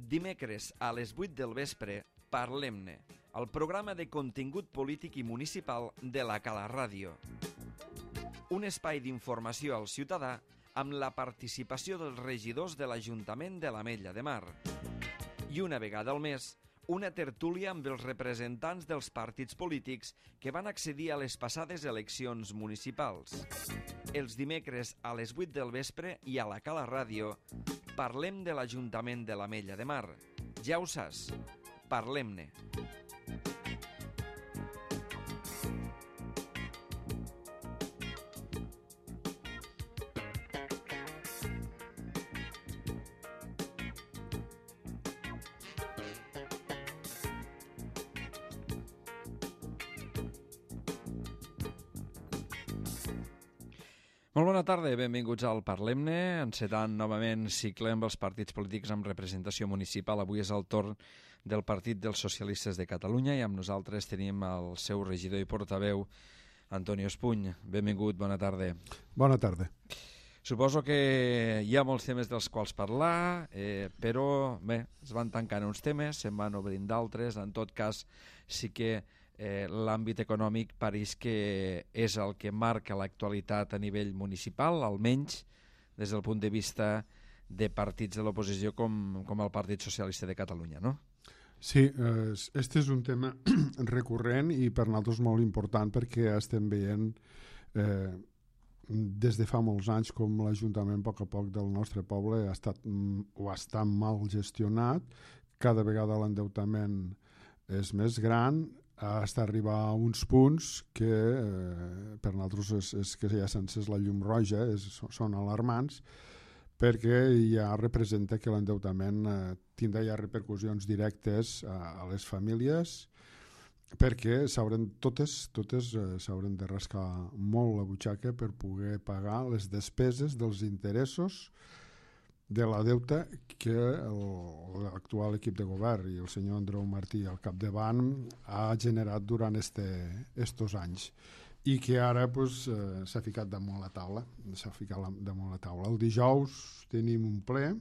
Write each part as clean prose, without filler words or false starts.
Dimecres a les 8 del vespre, Parlem-ne, el programa de contingut polític i municipal de la Cala Ràdio. Un espai d'informació al ciutadà amb la participació dels regidors de l'Ajuntament de l'Ametlla de Mar. I una vegada al mes, una tertúlia amb els representants dels partits polítics que van accedir a les passades eleccions municipals. Els dimecres a les 8 del vespre i a la Cala Ràdio parlem de l'Ajuntament de l'Ametlla de Mar. Ja ho saps, parlem-ne. Molt bona tarda i benvinguts al Parlem-ne, encetant novament cicle amb els partits polítics amb representació municipal. Avui és el torn del Partit dels Socialistes de Catalunya i amb nosaltres tenim el seu regidor i portaveu, Antonio Espuny. Benvingut, bona tarda. Bona tarda. Suposo que hi ha molts temes dels quals parlar, però bé, es van tancant uns temes, se'n van obrint d'altres. En tot cas, sí que l'àmbit econòmic pareix que és el que marca l'actualitat a nivell municipal, almenys des del punt de vista de partits de l'oposició com el Partit Socialista de Catalunya, no? Sí, este és un tema recurrent i per nosaltres molt important perquè estem veient des de fa molts anys com l'Ajuntament a poc del nostre poble està mal gestionat, cada vegada l'endeutament és més gran, hasta arribar a uns punts que per nosaltres és que ja sense la llum roja són alarmants, perquè ja representa que l'endeutament tindrà ja repercussions directes a les famílies, perquè totes s'hauran de rascar molt la butxaca per poder pagar les despeses dels interessos de la deuta que l'actual equip de govern i el senyor Andreu Martí al capdavant ha generat durant estos anys i que ara s'ha ficat damunt la taula. El dijous tenim un ple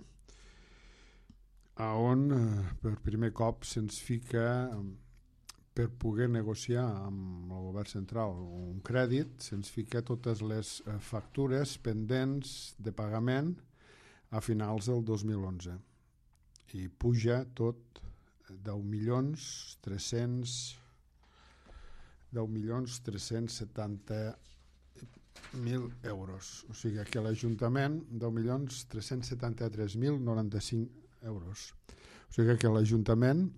on per primer cop se'ns fica per poder negociar amb el govern central un crèdit, se'ns fica totes les factures pendents de pagament a finals del 2011 i puja tot 10.370.000 euros. O sigui que l'Ajuntament 10.373.095 euros. O sigui que l'Ajuntament,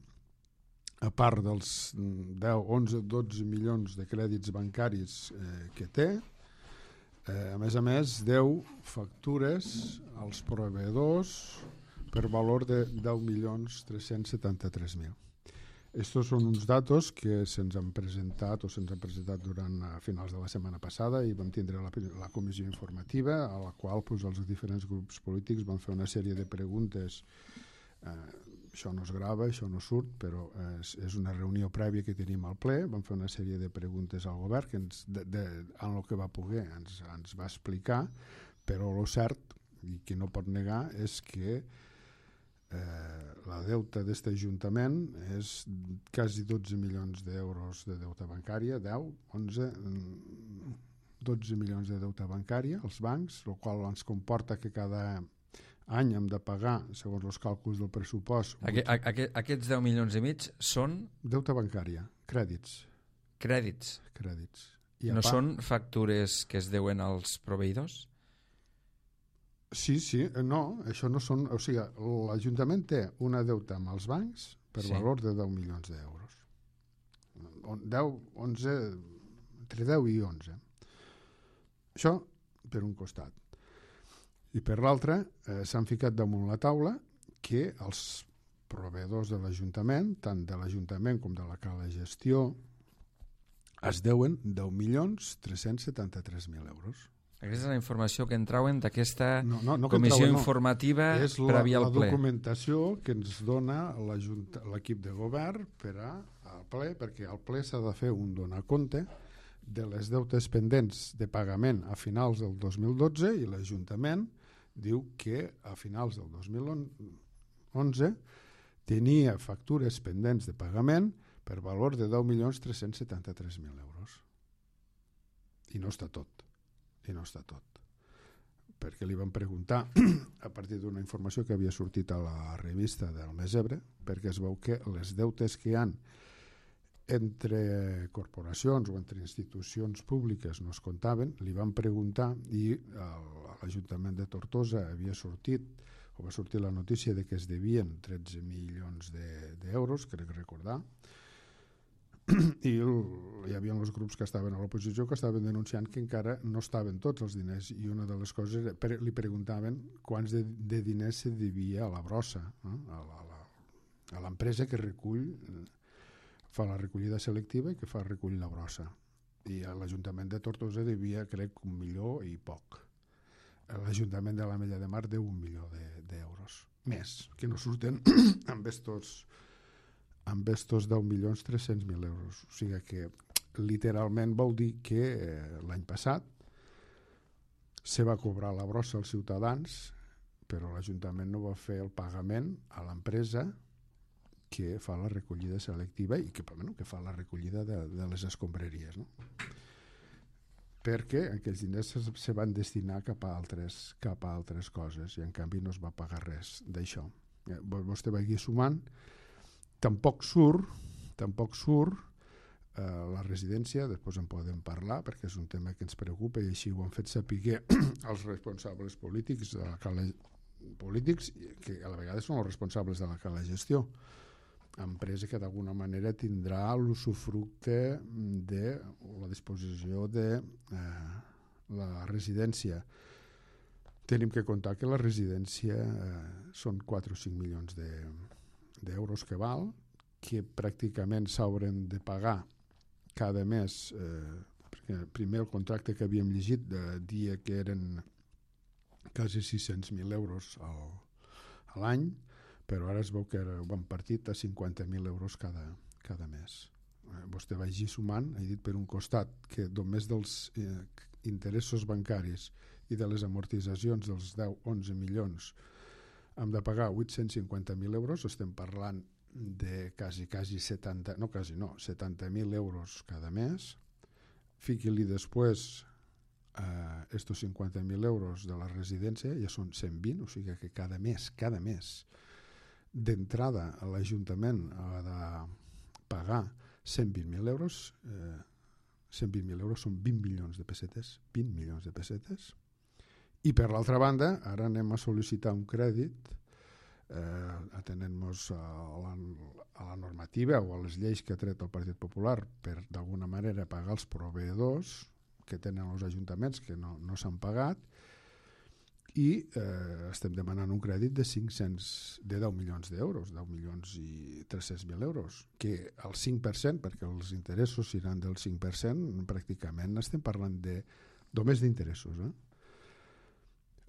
a part dels 10, 11, 12 milions de crèdits bancaris que té, a més, deu factures als proveïdors per valor de 10.373.000. Estos són uns datos que se'ns han presentat durant a finals de la setmana passada i vam tindre la comissió informativa a la qual els diferents grups polítics van fer una sèrie de preguntes. Això no es grava, això no surt, però és una reunió prèvia que tenim al ple. Vam fer una sèrie de preguntes al govern que en el que va poder ens va explicar, però el cert i que no pot negar és que la deuta d'aquest Ajuntament és quasi 12 milions d'euros de deuta bancària, 10, 11, 12 milions de deuta bancària als bancs, el qual ens comporta que cada any hem de pagar, segons els càlculs del pressupost... Aquests 10 milions i mig són... Deuta bancària, crèdits. Crèdits. I no són factures que es deuen als proveïdors? Sí, no, això no són... O sigui, l'Ajuntament té una deuta amb els bancs per valor de 10 milions d'euros. 10, 11, entre 10 i 11. Això per un costat. I per l'altre s'han ficat damunt la taula que els proveïdors de l'Ajuntament, tant de l'Ajuntament com de la Cala Gestió, es deuen 10.373.000 euros. Aquesta és la informació que en trauen d'aquesta comissió informativa prèvia al ple. És la documentació que ens dona l'equip de govern per al ple, perquè al ple s'ha de fer un donar-compte de les deutes pendents de pagament a finals del 2012 i l'Ajuntament diu que a finals del 2011 tenia factures pendents de pagament per valor de 10.373.000 euros. I no està tot. Perquè li van preguntar a partir d'una informació que havia sortit a la revista del Mesebre, perquè es veu que les deutes que hi ha entre corporacions o entre institucions públiques no es comptaven. Li van preguntar i a l'Ajuntament de Tortosa va sortir la notícia de que es devien 13 milions d'euros, crec recordar, i hi havia els grups que estaven a l'oposició que estaven denunciant que encara no estaven tots els diners, i una de les coses li preguntaven quants de diners se devia a la brossa, a l'empresa que fa la recollida selectiva i que recull la brossa, i a l'Ajuntament de Tortosa devia, crec, 1 milió i poc. L'Ajuntament de l'Ametlla de Mar deu 1 milió d'euros més, que no surten amb estos 10.300.000 euros. O sigui que literalment vol dir que l'any passat se va cobrar la brossa als ciutadans, però l'Ajuntament no va fer el pagament a l'empresa que fa la recollida selectiva i que fa la recollida de les escombraries, no? Perquè aquells diners se van destinar cap a altres coses, i en canvi no es va pagar res d'això. Vostè va aquí sumant. Tampoc surt la residència, després en podem parlar perquè és un tema que ens preocupa, i així ho han fet saber els responsables polítics que a la vegada són els responsables de la gestió. Empresa que d'alguna manera tindrà l'usufructe de la disposició de la residència. Tenim que comptar que la residència són 4 o 5 milions d'euros que val, que pràcticament s'hauran de pagar cada mes, perquè primer el contracte que havíem llegit deia que eren quasi 600.000 euros a l'any, però ara es veu que ho han partit a 50.000 euros cada mes. Vostè vagi sumant, he dit per un costat que només dels interessos bancaris i de les amortitzacions dels 10-11 milions hem de pagar 850.000 euros, estem parlant de quasi 70.000 euros cada mes. Fiqui-li després estos 50.000 euros de la residència, ja són 120, o sigui que cada mes d'entrada a l'Ajuntament ha de pagar 120.000 euros. 120.000 euros són 20 milions de pessetes, i per l'altra banda ara anem a sol·licitar un crèdit atenent-nos a la normativa o a les lleis que ha tret el Partit Popular per d'alguna manera pagar els proveïdors que tenen els ajuntaments que no s'han pagat, i estem demanant un crèdit de 10 milions d'euros, 10.300.000 euros, que el 5%, perquè els interessos seran del 5%, pràcticament estem parlant només d'interessos.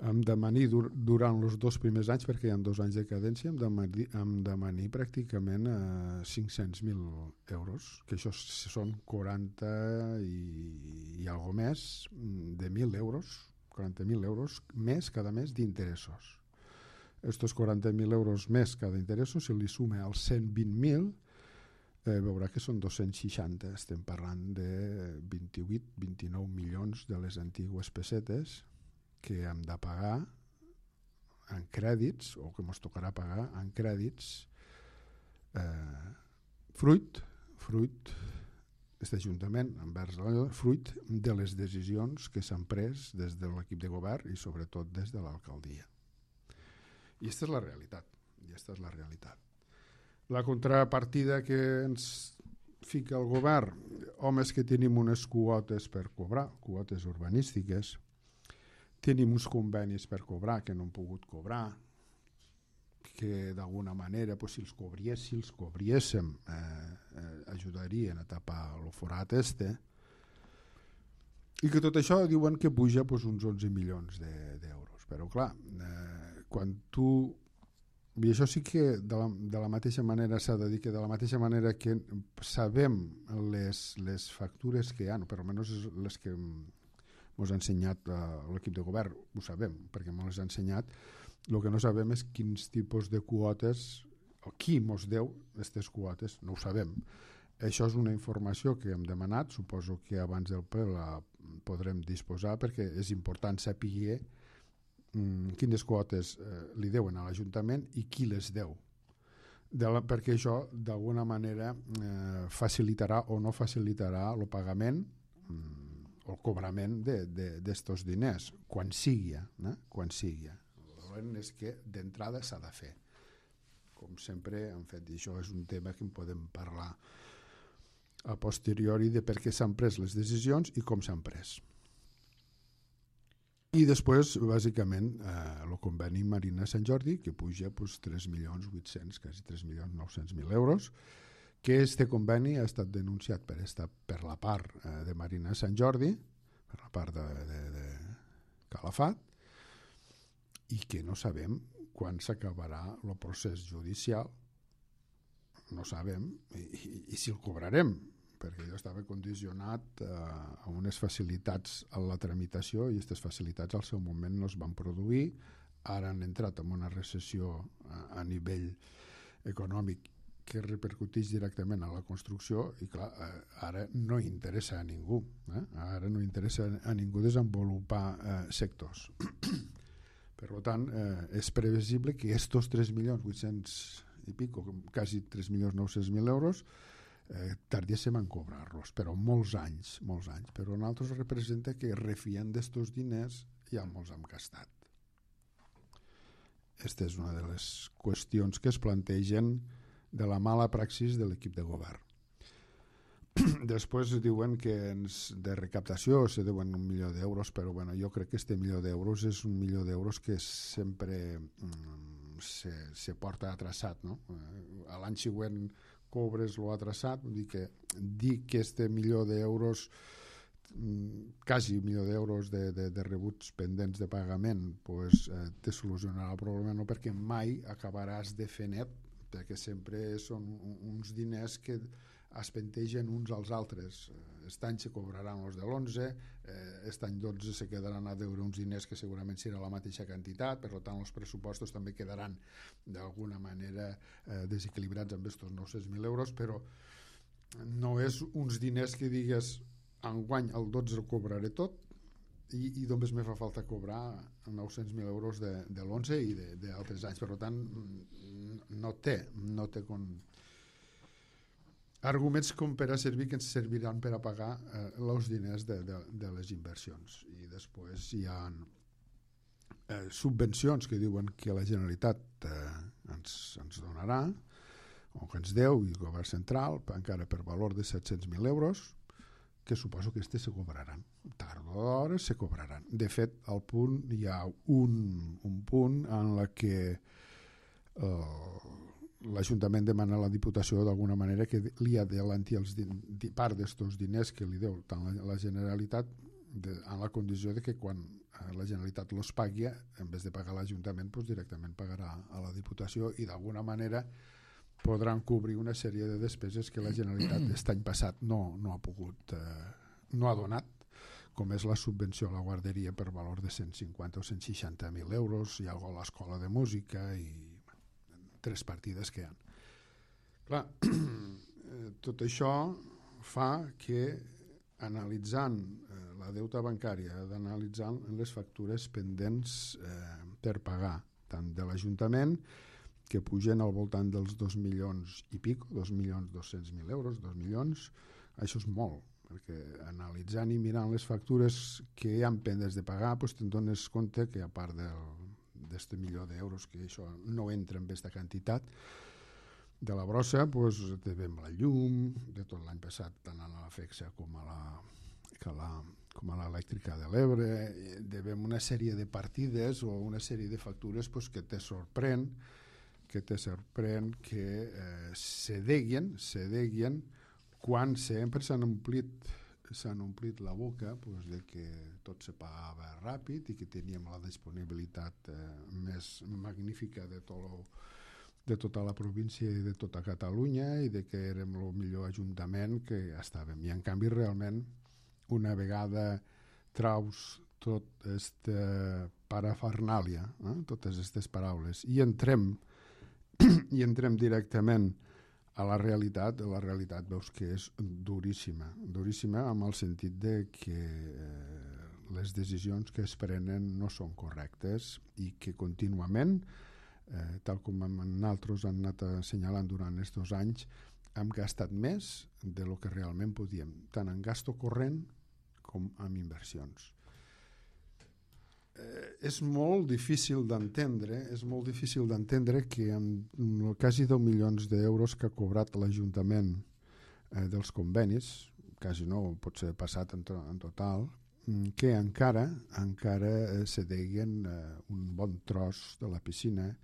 Hem de manir durant els 2 primers anys, perquè hi ha 2 anys de cadència, hem de manir pràcticament 500.000 euros, que això són 40 i algo més de 1.000 euros, 40.000 euros més cada mes d'interessos. Estos 40.000 euros més cada interessos, si li suma als 120.000, veurà que són 260. Estem parlant de 28-29 milions de les antigues pessetes que hem de pagar en crèdits, o que ens tocarà pagar en crèdits, fruit aquest Ajuntament envers fruit de les decisions que s'han pres des de l'equip de govern i sobretot des de l'alcaldia. I aquesta és la realitat. La contrapartida que ens fica el govern, és que tenim unes quotes per cobrar, quotes urbanístiques, tenim uns convenis per cobrar que no hem pogut cobrar, que d'alguna manera si els cobríéssim ajudarien a tapar el forat i que tot això diuen que puja uns 11 milions d'euros. Però clar, quan tu... I això sí que de la mateixa manera s'ha de dir que de la mateixa manera que sabem les factures que hi ha, o per almenys les que ens ha ensenyat l'equip de govern, ho sabem perquè ens les ha ensenyat. El que no sabem és quins tipus de quotes o qui mos deu aquestes quotes, no ho sabem. Això és una informació que hem demanat, suposo que abans del ple la podrem disposar, perquè és important saber quines quotes li deuen a l'Ajuntament i qui les deu. Perquè això d'alguna manera facilitarà o no facilitarà el pagament o el cobrament d'estos diners, quan sigui. Quan sigui. El problema és que d'entrada s'ha de fer. Com sempre hem fet, i això és un tema que en podem parlar a posteriori de per què s'han pres les decisions i com s'han pres. I després, bàsicament, el conveni Marina Sant Jordi, que puja 3.800.000, quasi 3.900.000 euros, que este conveni ha estat denunciat per la part de Marina Sant Jordi, per la part de Calafat, i que no sabem quan s'acabarà el procés judicial, no sabem, i si el cobrarem, perquè jo estava condicionat a unes facilitats a la tramitació i aquestes facilitats al seu moment no es van produir. Ara han entrat en una recessió a nivell econòmic que repercuteix directament a la construcció i clar, ara no interessa a ningú. Ara no interessa a ningú desenvolupar sectors. Per tant, és previsible que estos 3.800.000 i pico, quasi 3.900.000 euros, tardiéssim en cobrar-los, però molts anys. Però a nosaltres representa que refien d'estos diners i ja molts hem gastat. Aquesta és una de les qüestions que es plantegen de la mala praxis de l'equip de govern. Després diuen que de recaptació se deuen 1 milió d'euros, però bueno, jo crec que este milió d'euros és un milió d'euros que sempre se porta atrasat, no? A l'any següent cobres lo atrasat, vull dir que este milió d'euros, quasi 1 milió d'euros de rebuts pendents de pagament, pues, te solucionarà el problema, no perquè mai acabaràs de fer net, perquè sempre són uns diners que es pentegen uns als altres. Aquest any se cobraran els de l'11, aquest any 12 se quedaran a deure uns diners que segurament serà la mateixa quantitat, per tant els pressupostos també quedaran d'alguna manera desequilibrats amb aquests 900.000 euros, però no és uns diners que digues enguany el 12 ho cobraré tot i només me fa falta cobrar 900.000 euros de l'11 i d'altres anys. Per tant, no té arguments com per a servir que ens serviran per a pagar els diners de les inversions. I després hi ha subvencions que diuen que la Generalitat ens donarà o que ens deu, i el govern central, encara per valor de 700.000 euros, que suposo que aquestes se cobraran. Tard o d'hora se cobraran. De fet, al punt hi ha un punt en la que l'Ajuntament demana a la Diputació d'alguna manera que li adelanti part d'estos diners que li deu tant la Generalitat en la condició de que quan la Generalitat los pagui, en vez de pagar a l'Ajuntament, doncs directament pagarà a la Diputació i d'alguna manera podran cobrir una sèrie de despeses que la Generalitat aquest any passat no ha donat, com és la subvenció a la guarderia per valor de 150 o 160.000 euros, i algo a l'escola de música i 3 partides que hi ha. Clar, tot això fa que analitzant la deuta bancària, d'analitzant les factures pendents per pagar, tant de l'Ajuntament, que pugen al voltant dels 2 milions i pico, 2.200.000 euros, 2 milions, això és molt, perquè analitzant i mirant les factures que hi ha pendents de pagar, doncs te'n dones compte que a part d'aquest milió d'euros, que això no entra en aquesta quantitat, de la brossa, doncs devem la llum, de tot l'any passat, tant a la FEXA com a l'elèctrica de l'Ebre, devem una sèrie de partides o una sèrie de factures doncs, que te sorprèn que se deguin quan sempre s'han omplit la boca doncs, de que tot se pagava ràpid i que teníem la disponibilitat més magnífica de tota la província i de tota Catalunya i de que érem el millor ajuntament que estàvem. I en canvi realment una vegada traus tot aquesta parafernàlia, totes aquestes paraules, i entrem i entrem directament a la realitat veus que és duríssima amb el sentit de que les decisions que es prenen no són correctes i que contínuament, tal com nosaltres hem anat assenyalant durant aquests anys, hem gastat més de lo que realment podíem, tant en gasto corrent com en inversions. És molt difícil d'entendre que amb quasi 10 milions d'euros que ha cobrat l'Ajuntament dels convenis, quasi no, potser passat en total, que encara se deien un bon tros de la piscina,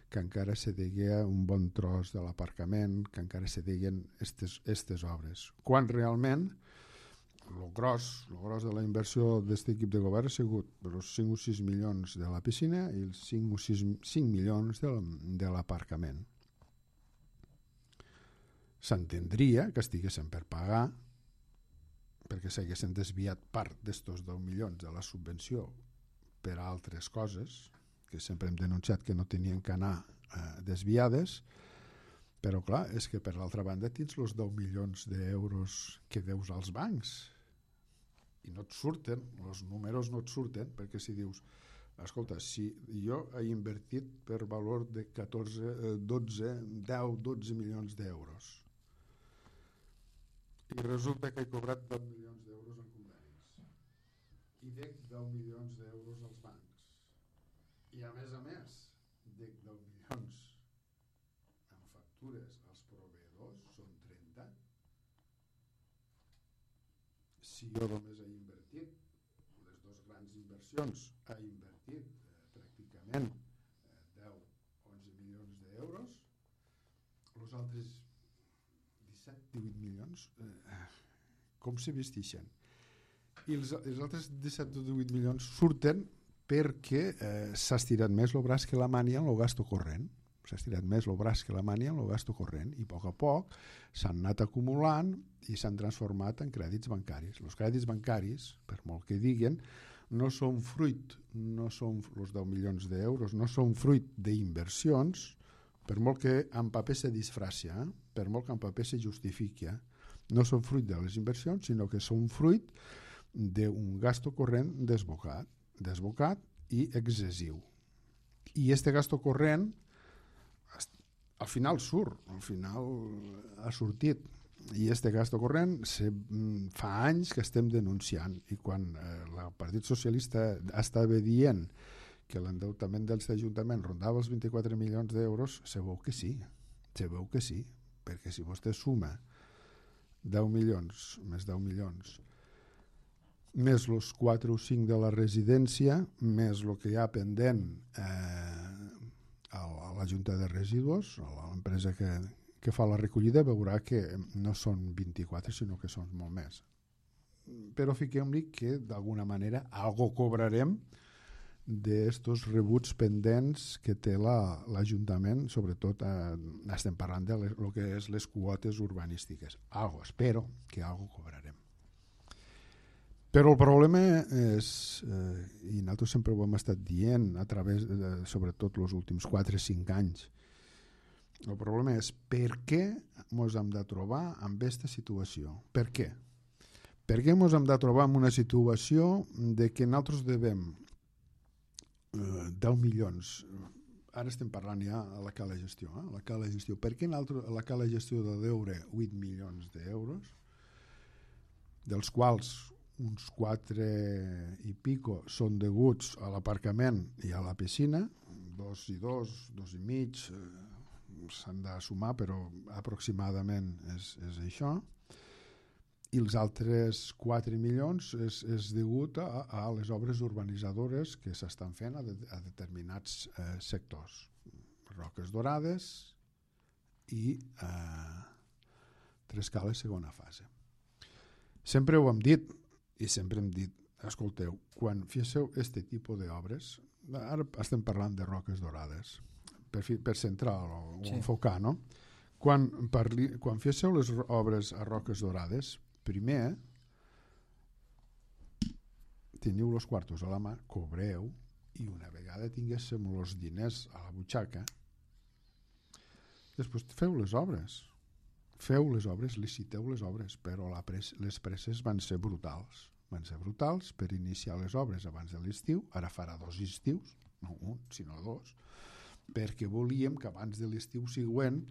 que encara se deia un bon tros de l'aparcament, que encara se deien aquestes obres. Quan realment el gros de la inversió d'aquest equip de govern ha sigut els 5 o 6 milions de la piscina i els 5 milions de l'aparcament. S'entendria que estiguessin per pagar perquè s'haguessin desviat part d'estos 10 milions de la subvenció per a altres coses que sempre hem denunciat que no tenien que anar desviades, però clar, és que per l'altra banda tens els 10 milions d'euros que deus als bancs i no et surten, els números no et surten, perquè si dius, escolta, si jo he invertit per valor de 10-12 milions d'euros i resulta que he cobrat 10 milions d'euros en convenis i dec 10 milions d'euros als bancs i a més dec 10 milions en factures als proveïdors, són 30. Si jo només he invertit les dues grans inversions, he invertit pràcticament 10-11 milions d'euros, els altres 17-18 milions com se vestixen? I els altres 17-18 milions surten perquè s'ha estirat més el braç que la mània en el gasto corrent. S'ha estirat més el braç que la mània en el gasto corrent i a poc s'han anat acumulant i s'han transformat en crèdits bancaris. Els crèdits bancaris, per molt que diguen, no són fruit, no són els 10 milions d'euros, no són fruit d'inversions, per molt que en paper se disfracia, per molt que en paper se justifiqui, no són fruit de les inversions, sinó que són fruit d'un gasto corrent desbocat i excessiu. I este gasto corrent al final ha sortit. I este gasto corrent fa anys que estem denunciant i quan el Partit Socialista estava dient que l'endeutament dels ajuntaments rondava els 24 milions d'euros, se veu que sí, perquè si vostè suma 10 milions més 10 milions més els 4 o 5 de la residència, més el que hi ha pendent a la Junta de Residus, a l'empresa que fa la recollida, veurà que no són 24, sinó que són molt més. Però fiquem-li que d'alguna manera algo cobrarem d'estos rebuts pendents que té l'Ajuntament, sobretot estem parlant de lo que és les quotes urbanístiques. Espero que algo cobrarem. Però el problema és, i nosaltres sempre ho hem estat dient a través de, sobretot els últims 4 o 5 anys, el problema és per què ens hem de trobar en aquesta situació. Per què? Per què ens hem de trobar en una situació de que nosaltres devem 10 milions, ara estem parlant ja a la cala gestió, per què nosaltres a la cala gestió de deure 8 milions d'euros, dels quals uns 4 i pico són deguts a l'aparcament i a la piscina, 2 i 2, 2 i mig, s'han de sumar, però aproximadament és això, i els altres 4 milions és degut a les obres urbanitzadores que s'estan fent a determinats sectors. Roques Dorades i Trescales segona fase. Sempre ho hem dit, i sempre hem dit, escolteu, quan féssim aquest tipus d'obres, ara estem parlant de Roques Dorades, per centrar o enfocar, no? Quan féssim les obres a Roques Dorades, primer teniu els quartos a la mà, cobreu, i una vegada tinguéssim els diners a la butxaca, després feu les obres. Feu les obres, liciteu les obres, però les presses van ser brutals. Van ser brutals per iniciar les obres abans de l'estiu, ara farà 2 estius, no un, sinó 2, perquè volíem que abans de l'estiu següent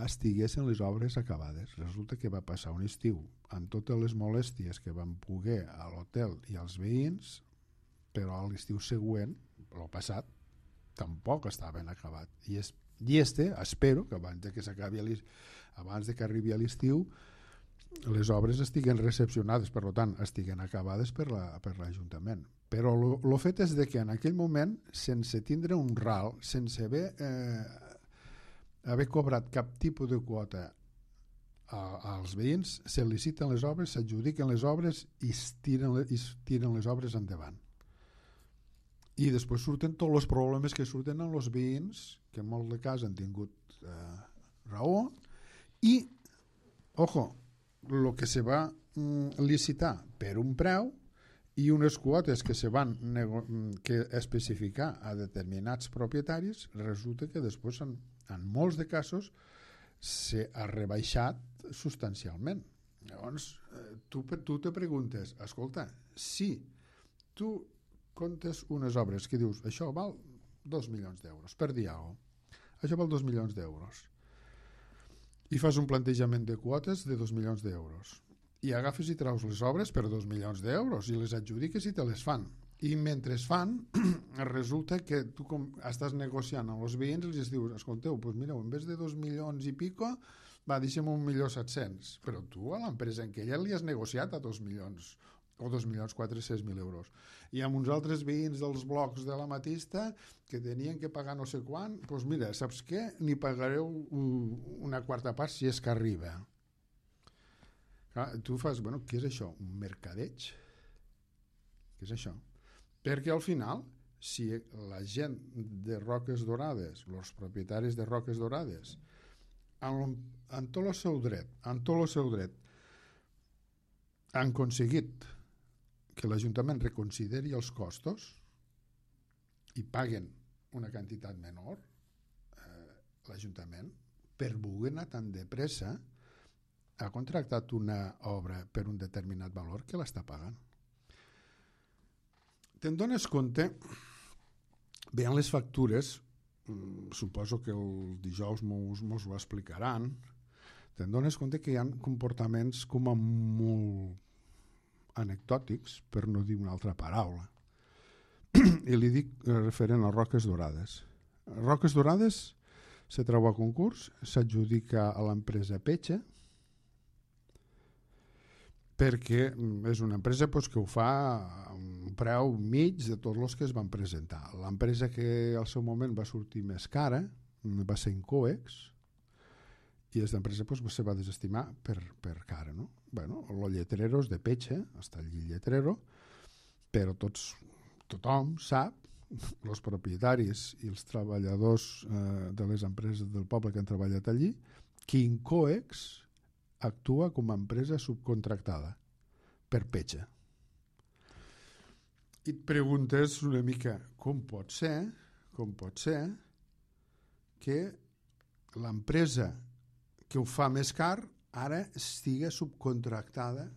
estiguessin les obres acabades. Resulta que va passar un estiu amb totes les molèsties que van poder a l'hotel i als veïns, però a l'estiu següent, l'any passat, tampoc estava ben acabat. I espero que abans de que arribi a l'estiu les obres estiguen recepcionades, per tant, estiguen acabades per l'Ajuntament. Però el fet és que en aquell moment, sense tindre un ral, sense haver cobrat cap tipus de quota als veïns, se liciten les obres, s'adjudiquen les obres i es tiren les obres endavant. I després surten tots els problemes que surten amb els veïns, que en molts de cas han tingut raó, i, ojo, el que se va licitar per un preu i unes quotes que se van especificar a determinats propietaris, resulta que després, en molts de casos, s'ha rebaixat substancialment. Llavors, tu te preguntes, escolta, si tu comptes unes obres que dius, això val 2 milions d'euros, per dir alguna cosa, això val 2 milions d'euros, i fas un plantejament de quotes de 2 milions d'euros, i agafes i traus les obres per 2 milions d'euros i les adjudiques i te les fan. I mentre es fan, resulta que tu estàs negociant amb els veïns i els dius, escolteu, doncs mireu, en vez de 2 milions i pico, va, deixem 1.700.000, però tu a l'empresa en què ja li has negociat a 2 milions o 2.400.000 euros. I amb uns altres veïns dels blocs de l'Amatista que tenien que pagar no sé quant, doncs mira, saps què? N'hi pagareu una quarta part si és que arriba. Clar, tu fas, bueno, què és això? Un mercadeig? Què és això? Perquè al final, si la gent de Roques Dorades, els propietaris de Roques Dorades, en tot el seu dret, han aconseguit que l'Ajuntament reconsideri els costos i paguen una quantitat menor, l'Ajuntament, per voler anar tan de pressa, ha contractat una obra per un determinat valor que l'està pagant. Te'n dones compte, veient les factures, suposo que el dijous mos ho explicaran, te'n dones compte que hi ha comportaments com a molt anecdòtics, per no dir una altra paraula. I li dic referent a Roques Dorades. Roques Dorades se treu a concurs, s'adjudica a l'empresa Petxa, perquè és una empresa que ho fa a un preu mig de tots els que es van presentar. L'empresa que al seu moment va sortir més cara va ser Incoex, i aquesta empresa se va desestimar per cara, no? Bueno, los lletreros de Petxa, està allí el lletrero, però tothom sap, els propietaris i els treballadors de les empreses del poble que han treballat allí, que Incoex actua com a empresa subcontractada per Petxa. I et preguntes una mica com pot ser que l'empresa que ho fa més car ara estiga subcontractada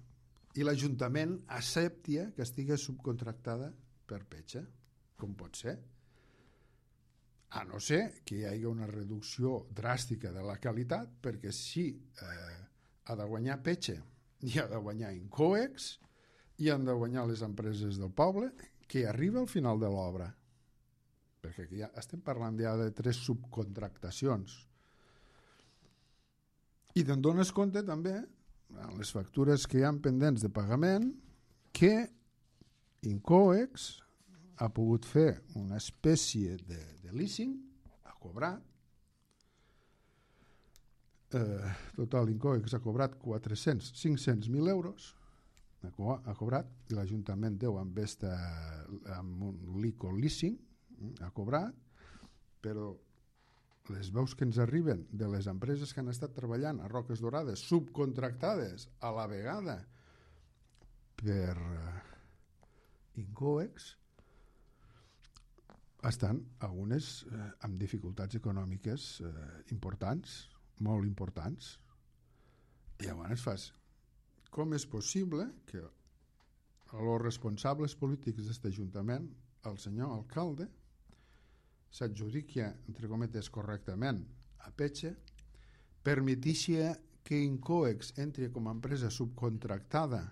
i l'Ajuntament accepti que estigui subcontractada per Petxa. Com pot ser? A no ser que hi hagi una reducció dràstica de la qualitat, perquè si ha de guanyar Petxa i ha de guanyar Incoex i han de guanyar les empreses del poble, que arriba al final de l'obra. Perquè aquí ja estem parlant ja de 3 subcontractacions. I te'n dones compte també, en les factures que hi ha pendents de pagament, que Incoex ha pogut fer una espècie de leasing, ha cobrat, total Incoex ha cobrat 500.000 euros, ha cobrat, i l'Ajuntament deu amb un l'ICO leasing, ha cobrat, però les veus que ens arriben de les empreses que han estat treballant a Roques Dorades, subcontractades a la vegada per Incoex, estan algunes amb dificultats econòmiques importants, molt importants. I llavors fas, com és possible que els responsables polítics d'aquest ajuntament, el senyor alcalde, s'adjudica, entre cometes, correctament a Petxe, permetia que Incoex entri com a empresa subcontractada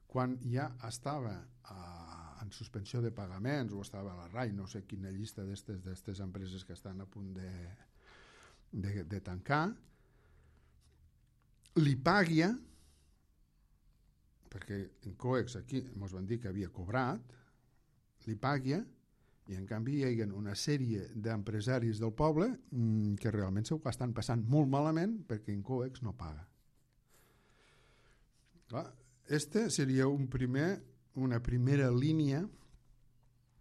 quan ja estava en suspensió de pagaments o estava a la RAI, no sé quina llista d'aquestes empreses que estan a punt de tancar, li pagia, perquè Incoex aquí ens van dir que havia cobrat, li pagia, i en canvi hi ha una sèrie d'empresaris del poble que realment segur que estan passant molt malament perquè Incoex no paga. Clar, seria una primera línia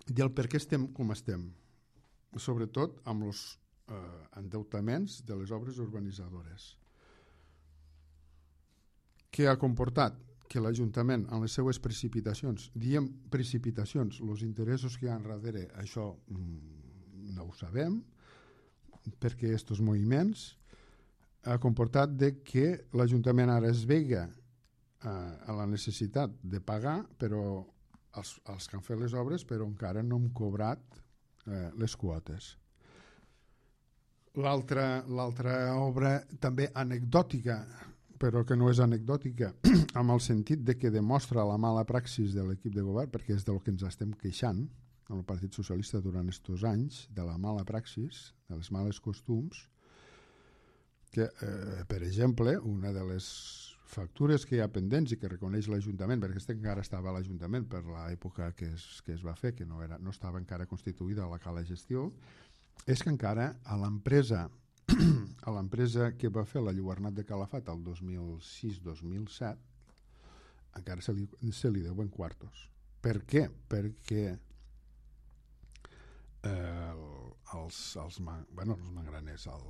del per què estem com estem, sobretot amb els endeutaments de les obres urbanitzadores. Què ha comportat? Que l'Ajuntament, en les seues precipitacions, diem precipitacions, els interessos que hi ha darrere, això no ho sabem, perquè aquests moviments ha comportat que l'Ajuntament ara es vega a la necessitat de pagar, però els que han fet les obres, però encara no han cobrat les quotes. L'altra obra també anecdòtica, però que no és anecdòtica, amb el sentit de que demostra la mala praxis de l'equip de govern, perquè és del que ens estem queixant amb el Partit Socialista durant aquests anys, de la mala praxis, de les males costums, que, per exemple, una de les factures que hi ha pendents i que reconeix l'Ajuntament, perquè encara estava a l'Ajuntament per l'època que es va fer, que no estava encara constituïda la cala gestió, és que encara a l'empresa que va fer la Lluernat de Calafat el 2006-2007 encara se li deuen quartos. Per què? Perquè els mangraners, el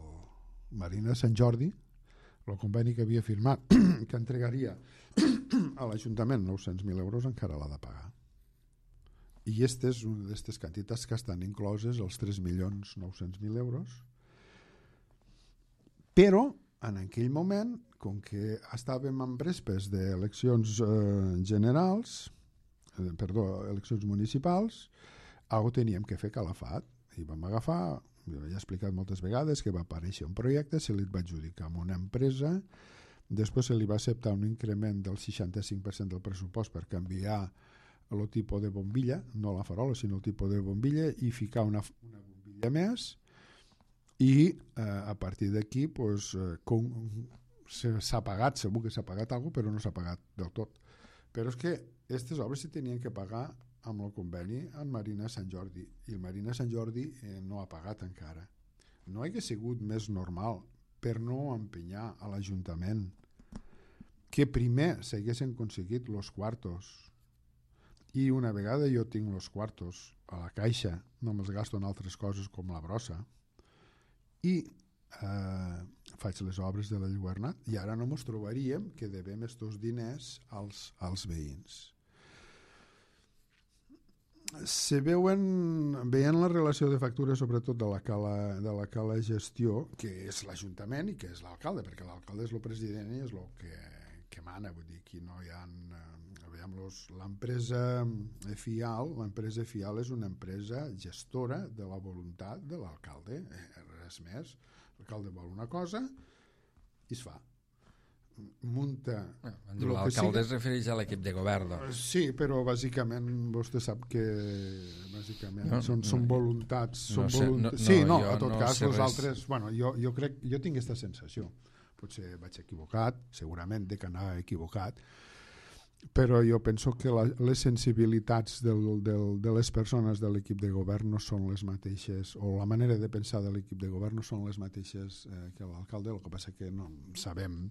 Marina de Sant Jordi, el conveni que havia firmat que entregaria a l'Ajuntament 900.000 euros encara l'ha de pagar. I aquesta és una d'aquestes quantitats que estan incloses els 3.900.000 euros. Però, en aquell moment, com que estàvem en brespes d'eleccions eleccions municipals, algo teníem que fer Calafat. I vam agafar, jo he explicat moltes vegades que va aparèixer un projecte, se li va adjudicar a una empresa, després se li va acceptar un increment del 65% del pressupost per canviar el tipus de bombilla, no la farola, sinó el tipus de bombilla, i ficar una bombilla més, i a partir d'aquí s'ha pagat, segur que s'ha pagat alguna cosa, però no s'ha pagat del tot. Però és que aquestes obres s'hi tenien que pagar amb el conveni en Marina Sant Jordi, i el Marina Sant Jordi no ha pagat encara. No hauria sigut més normal, per no empenyar a l'Ajuntament, que primer s'haguessin aconseguit els quartos, i una vegada jo tinc els quartos a la caixa, no me'ls gasto en altres coses com la brossa, i faig les obres de la Lluernat, i ara no ens trobaríem que devem aquests diners als veïns. Veient la relació de factures, sobretot de la cala gestió, que és l'Ajuntament i que és l'alcalde, perquè l'alcalde és el president i és el que mana, vull dir, aquí no hi ha... L'empresa FIAL és una empresa gestora de la voluntat de l'alcalde, res més. L'alcalde vol una cosa i es fa. Munta... L'alcalde es refereix a l'equip de govern. Sí, però bàsicament vostè sap que són voluntats. A tot cas, nosaltres... Jo tinc aquesta sensació. Potser vaig equivocat, segurament de que anava equivocat, però jo penso que les sensibilitats de les persones de l'equip de govern no són les mateixes, o la manera de pensar de l'equip de govern no són les mateixes que l'alcalde. El que passa que no sabem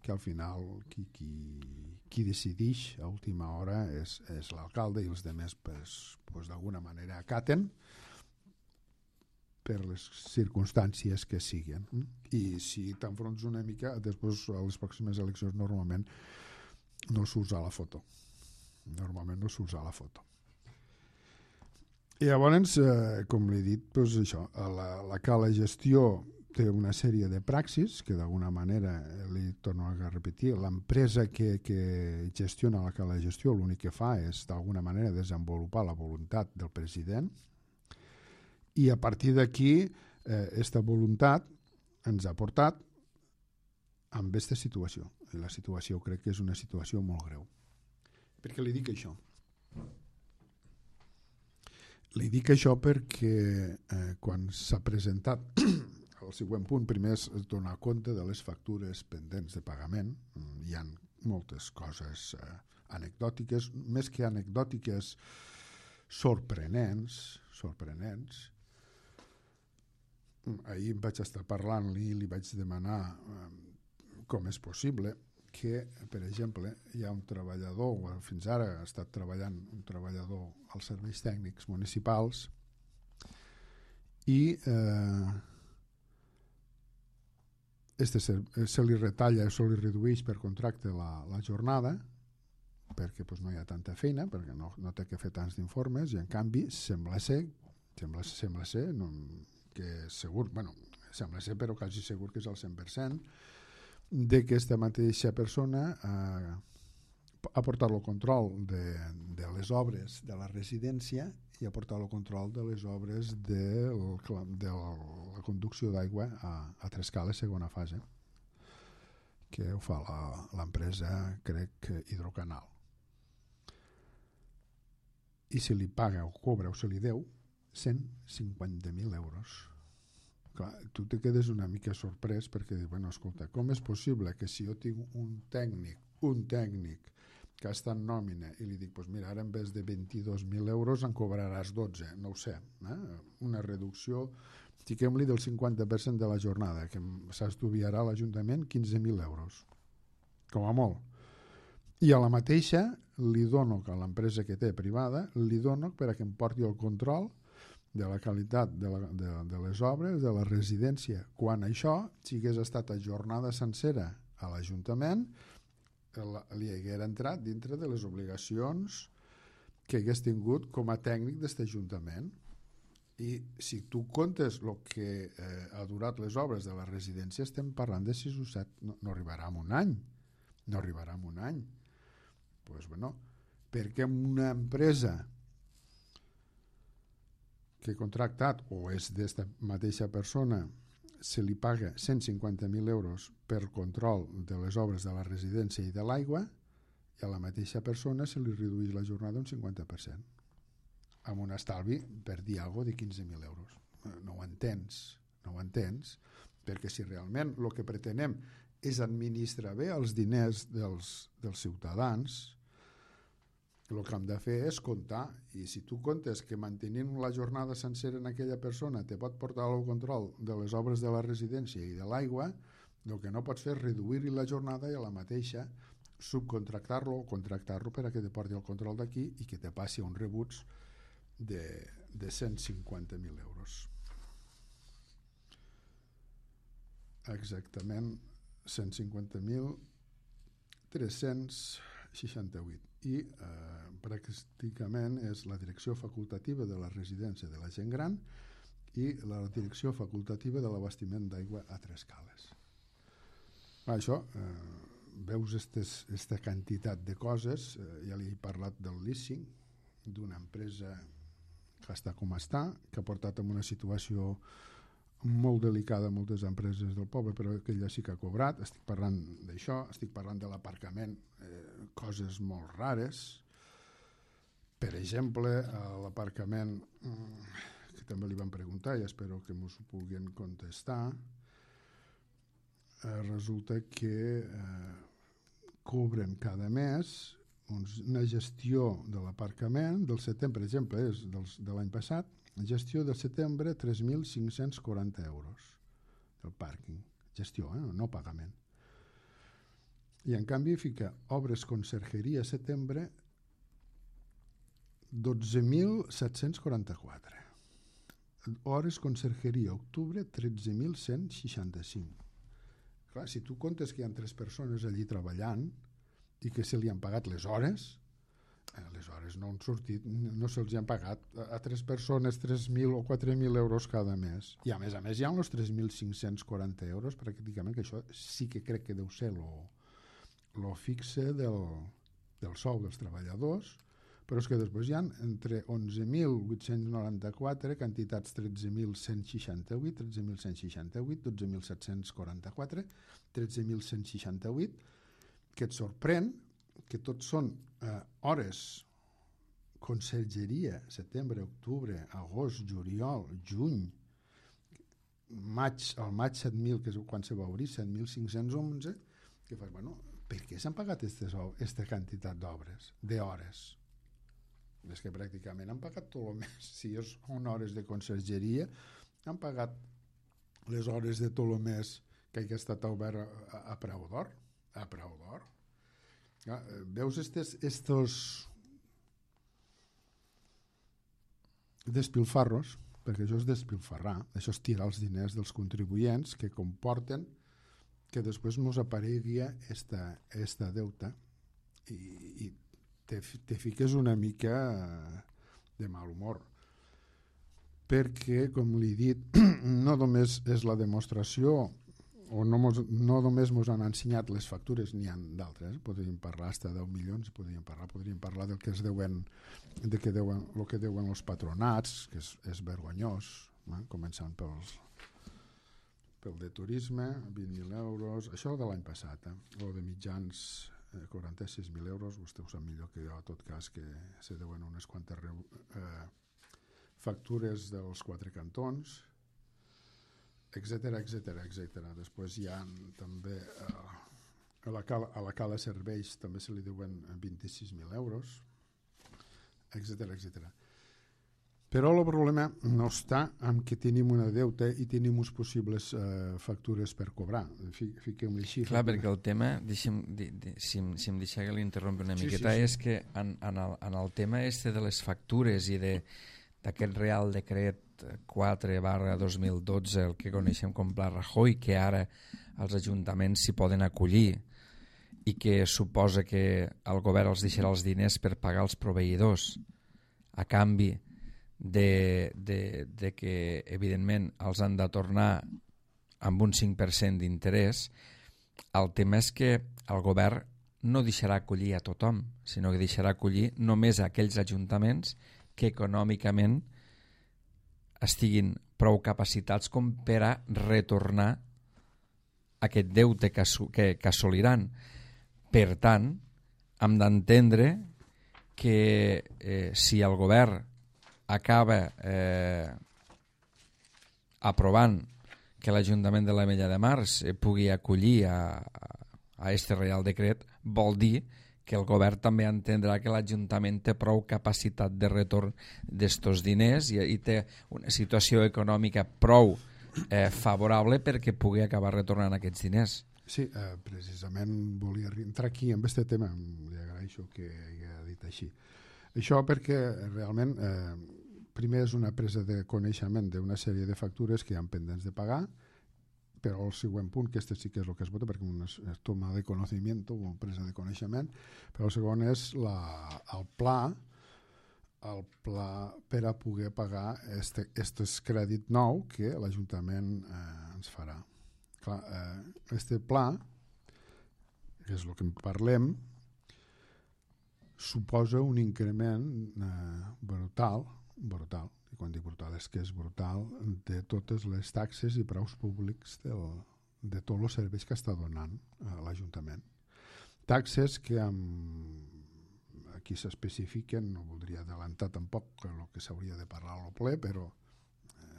que al final qui decideix a última hora és l'alcalde, i els altres d'alguna manera acaten per les circumstàncies que siguin. I si t'enfronts una mica, després a les pròximes eleccions normalment no surts a la foto. I llavors, com l'he dit, doncs això, la cala gestió té una sèrie de praxis que d'alguna manera, li torno a repetir, l'empresa que gestiona la cala gestió l'únic que fa és d'alguna manera desenvolupar la voluntat del president, i a partir d'aquí aquesta voluntat ens ha portat amb aquesta situació. I la situació crec que és una situació molt greu. Per què li dic això? Li dic això perquè quan s'ha presentat el següent punt, primer és donar compte de les factures pendents de pagament. Hi ha moltes coses anecdòtiques, més que anecdòtiques, sorprenents. Ahir vaig estar parlant-li i li vaig demanar com és possible que, per exemple, hi ha un treballador, fins ara ha estat treballant un treballador als serveis tècnics municipals, i se li retalla, se li redueix per contracte la jornada, perquè no hi ha tanta feina, perquè no té que fer tants d'informes, i en canvi sembla ser que segur, sembla ser però quasi segur que és el 100%, de que aquesta mateixa persona ha portat el control de les obres de la residència i ha portat el control de les obres de la conducció d'aigua a Trescales, segona fase, que ho fa l'empresa, crec, Hidrocanal. I se li paga o cobra o se li deu 150.000 euros. Clar, tu te quedes una mica sorprès perquè dius, escolta, com és possible que si jo tinc un tècnic que està en nòmina i li dic, mira, ara en vez de 22.000 euros en cobraràs 12, no ho sé, una reducció, fiquem-li del 50% de la jornada, que s'estudiarà a l'Ajuntament 15.000 euros, com a molt. I a la mateixa li dono, a l'empresa que té privada, li dono per a que em porti el control de la qualitat de les obres de la residència, quan això, si hagués estat a jornada sencera a l'Ajuntament, li haguera entrat dintre de les obligacions que hagués tingut com a tècnic d'aquest Ajuntament. I si tu comptes el que ha durat les obres de la residència, estem parlant de 6 o 7, no arribarà a un any. Perquè una empresa que ha contractat o és d'esta mateixa persona se li paga 150.000 euros per control de les obres de la residència i de l'aigua, i a la mateixa persona se li redueix la jornada un 50%, amb un estalvi, per dir alguna cosa, de 15.000 euros. No ho entens, perquè si realment el que pretenem és administrar bé els diners dels ciutadans, el que hem de fer és comptar, i si tu comptes que mantenint la jornada sencera en aquella persona te pot portar el control de les obres de la residència i de l'aigua, el que no pots fer és reduir-li la jornada i a la mateixa subcontractar-lo o contractar-lo per a que te porti el control d'aquí i que te passi uns rebuts de 150.000 euros. Exactament 150.368. I pràcticament és la direcció facultativa de la residència de la gent gran i la direcció facultativa de l'abastiment d'aigua a Trescales. Això, veus aquesta quantitat de coses, ja li he parlat del leasing, d'una empresa que està com està, que ha portat en una situació molt delicada a moltes empreses del poble, però que ella sí que ha cobrat. Estic parlant d'això, estic parlant de l'aparcament, coses molt rares. Per exemple, l'aparcament, que també li van preguntar i espero que m'ho puguin contestar, resulta que cobren cada mes una gestió de l'aparcament del setembre, per exemple, és de l'any passat, gestió del setembre 3.540 euros del pàrquing, gestió, no pagament. I en canvi fica obres consergeria setembre 12.744, hores consergeria octubre 13.165. Clar, si tu comptes que hi ha 3 persones allí treballant i que se li han pagat les hores, Aleshores no han sortit, no se'ls han pagat a 3 persones 3.000 o 4.000 euros cada mes. I a més hi ha uns 3.540 euros pràcticament, que això sí que crec que deu ser lo fixe del sou dels treballadors, però és que després hi ha entre 11.894, quantitats 13.168, 13.168, 12.744, 13.168, que et sorprèn que tots són hores consergeria, setembre, octubre, agost, juliol, juny, maig, al maig 7.000, que és quan se va obrir, 7.511, que fas, bueno, per què s'han pagat aquesta quantitat d'hores? És que pràcticament han pagat tot el mes. Si són hores de consergeria, han pagat les hores de tot el mes que ha estat obert a preu d'or. A preu d'or. Veus estos despilfarros, perquè això és despilfarrar, això és tirar els diners dels contribuents que comporten que després nos aparegui esta deuta i te fiques una mica de mal humor, perquè, com li he dit, no només és la demostració o no només ens han ensenyat les factures, n'hi ha d'altres, podríem parlar fins a 10 milions, podríem parlar del que es deuen, el que deuen els patronats, que és vergonyós, començant pel de turisme, 20.000 euros, això de l'any passat, o de mitjans 46.000 euros, vostè ho sap millor que jo, en tot cas, que se deuen unes quantes factures dels 4 cantons, etcètera. Després hi ha també a la Cala Serveis també se li diuen 26.000 euros, etcètera. Però el problema no està en que tenim una deuta i tenim uns possibles factures per cobrar. Fiquem-li així. Clar, perquè el tema, si em deixa que l'interrompi una miqueta, és que en el tema de les factures i d'aquest Real Decret 4/2012, el que coneixem com Pla Rajoy, que ara els ajuntaments s'hi poden acollir i que suposa que el govern els deixarà els diners per pagar els proveïdors a canvi de que evidentment els han de tornar amb un 5% d'interès. El tema és que el govern no deixarà acollir a tothom, sinó que deixarà acollir només a aquells ajuntaments que econòmicament estiguin prou capacitats com per a retornar aquest deute que assoliran. Per tant, hem d'entendre que si el govern acaba aprovant que l'Ajuntament de l'Ametlla de Mar pugui acollir a este Real Decret, vol dir que el govern també entendrà que l'Ajuntament té prou capacitat de retorn d'estos diners i té una situació econòmica prou favorable perquè pugui acabar retornant aquests diners. Sí, precisament volia entrar aquí amb aquest tema, li agraeixo que hagi dit així. Això perquè realment primer és una presa de coneixement d'una sèrie de factures que hi ha pendents de pagar, però el següent punt, que este sí que és el que es vota perquè és toma de coneixement o presa de coneixement, però el segon és el pla per a poder pagar este crèdit nou que l'Ajuntament ens farà. Clar, este pla, que és el que en parlem, suposa un increment brutal, i quan dic brutal és que és brutal, de totes les taxes i preus públics de tots els serveis que està donant l'Ajuntament. Taxes que aquí s'especifiquen, no voldria adelantar tampoc el que s'hauria de parlar al ple, però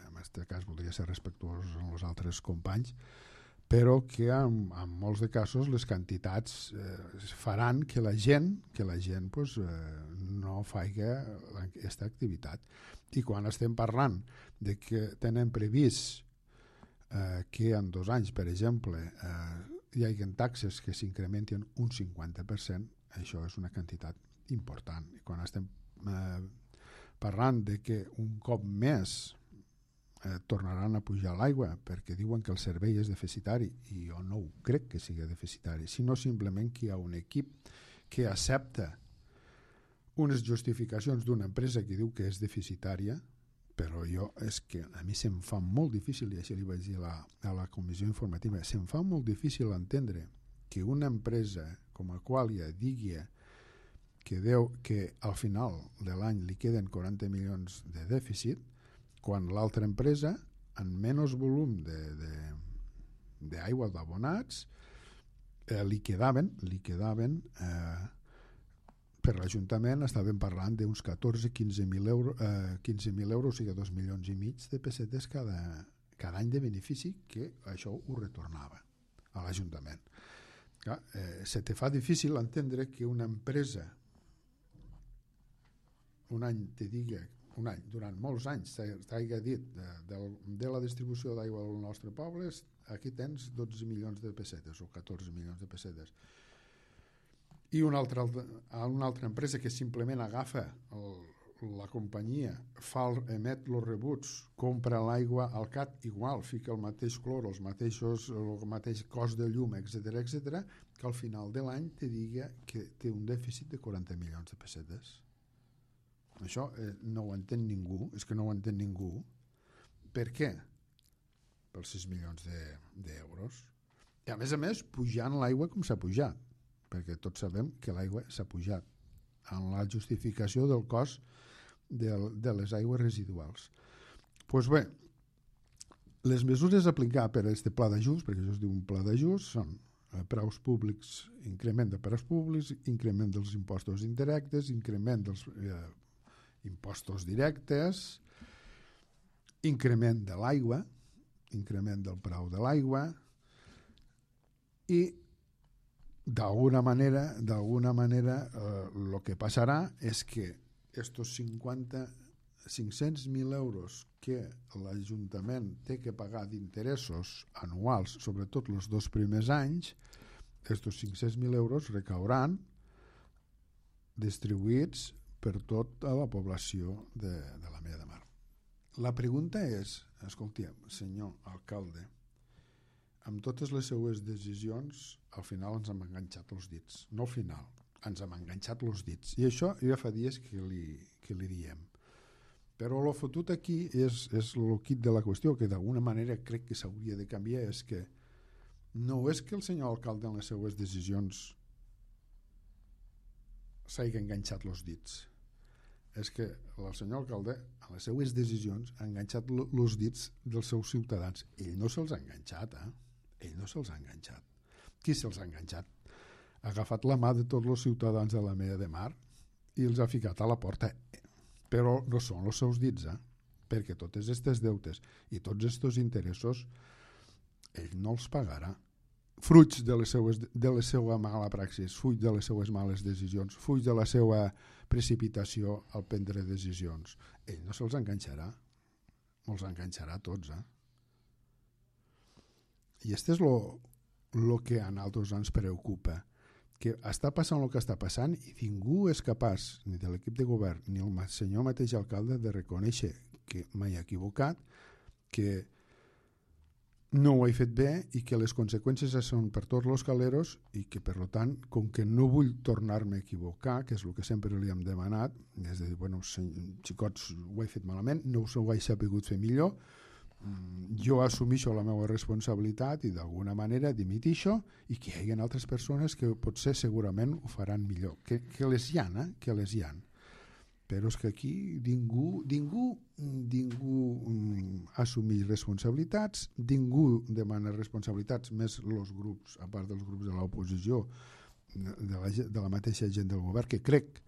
en aquest cas voldria ser respectuós amb els altres companys, però que en molts de casos les quantitats faran que la gent pues, no faci aquesta activitat. I quan estem parlant de que tenen previst que en 2 anys, per exemple, hi hagi taxes que s'incrementen un 50%, això és una quantitat important. I quan estem parlant de que un cop més tornaran a pujar l'aigua perquè diuen que el servei és deficitari, i jo no ho crec que sigui deficitari, sinó simplement que hi ha un equip que accepta unes justificacions d'una empresa que diu que és deficitària, però és que a mi se'm fa molt difícil, i així li vaig dir a la comissió informativa, se'm fa molt difícil entendre que una empresa com a Qualia digui que al final de l'any li queden 40 milions de dèficit, quan l'altra empresa, en menys volum d'aigua d'abonats, li quedaven per l'Ajuntament estaven parlant d'uns 14-15.000 euros, 15.000 euros, o sigui, 2,5 milions de pessetes cada any de benefici, que això ho retornava a l'Ajuntament. Se te fa difícil entendre que una empresa un any te digui, durant molts anys t'hagi dit de la distribució d'aigua al nostre poble, aquí tens 12 milions de pessetes o 14 milions de pessetes, i una altra empresa que simplement agafa la companyia, emet els rebuts, compra l'aigua al CAT igual, fica el mateix clor, el mateix cost de llum, etc., que al final de l'any te digui que té un dèficit de 40 milions de pessetes. Això no ho entén ningú, és que no ho entén ningú. Per què? Pels 6 milions d'euros. I a més, pujant l'aigua com s'ha pujat, perquè tots sabem que l'aigua s'ha pujat en la justificació del cost de les aigües residuals. Doncs bé, les mesures a aplicar per a aquest pla d'ajust, perquè això es diu un pla d'ajust, són preus públics, increment de preus públics, increment dels impostos indirectes, increment dels impostos directes, increment de l'aigua, increment del preu de l'aigua, i d'alguna manera el que passarà és que estos 500.000 euros que l'Ajuntament té que pagar d'interessos anuals, sobretot els 2 primers anys, estos 500.000 euros recauran distribuïts per tota la població de l'Ametlla de Mar. La pregunta és, escolti, senyor alcalde, amb totes les seues decisions al final ens hem enganxat els dits. No al final, ens hem enganxat els dits. I això ja fa dies que li diem. Però el fotut aquí és el quid de la qüestió, que d'alguna manera crec que s'hauria de canviar, és que no és que el senyor alcalde en les seues decisions s'hagi enganxat els dits. És que el senyor alcalde en les seues decisions ha enganxat els dits dels seus ciutadans. Ell no se'ls ha enganxat, Ell no se'ls ha enganxat. Qui se'ls ha enganxat? Ha agafat la mà de tots els ciutadans de l'Ametlla de Mar i els ha ficat a la porta. Però no són els seus dits, perquè totes aquestes deutes i tots aquests interessos ell no els pagarà. Fruits de la seva mala praxis, fruit de les seues males decisions, fruit de la seva precipitació al prendre decisions. Ell no se'ls enganxarà. Els enganxarà tots, I aquest és el que a nosaltres ens preocupa, que està passant el que està passant i ningú és capaç, ni de l'equip de govern ni el senyor mateix alcalde, de reconèixer que m'he equivocat, que no ho he fet bé i que les conseqüències són per tots els caleros i que, per tant, com que no vull tornar-me a equivocar, que és el que sempre li hem demanat, és de dir, bueno, xicots, ho he fet malament, no ho he sabut fer millor, jo assumeixo la meva responsabilitat i d'alguna manera dimitixo i que hi hagi altres persones que potser segurament ho faran millor, que les hi ha, que les hi ha. Però és que aquí ningú assumeix responsabilitats, ningú demana responsabilitats, més els grups, a part dels grups de l'oposició, de la mateixa gent del govern, que crec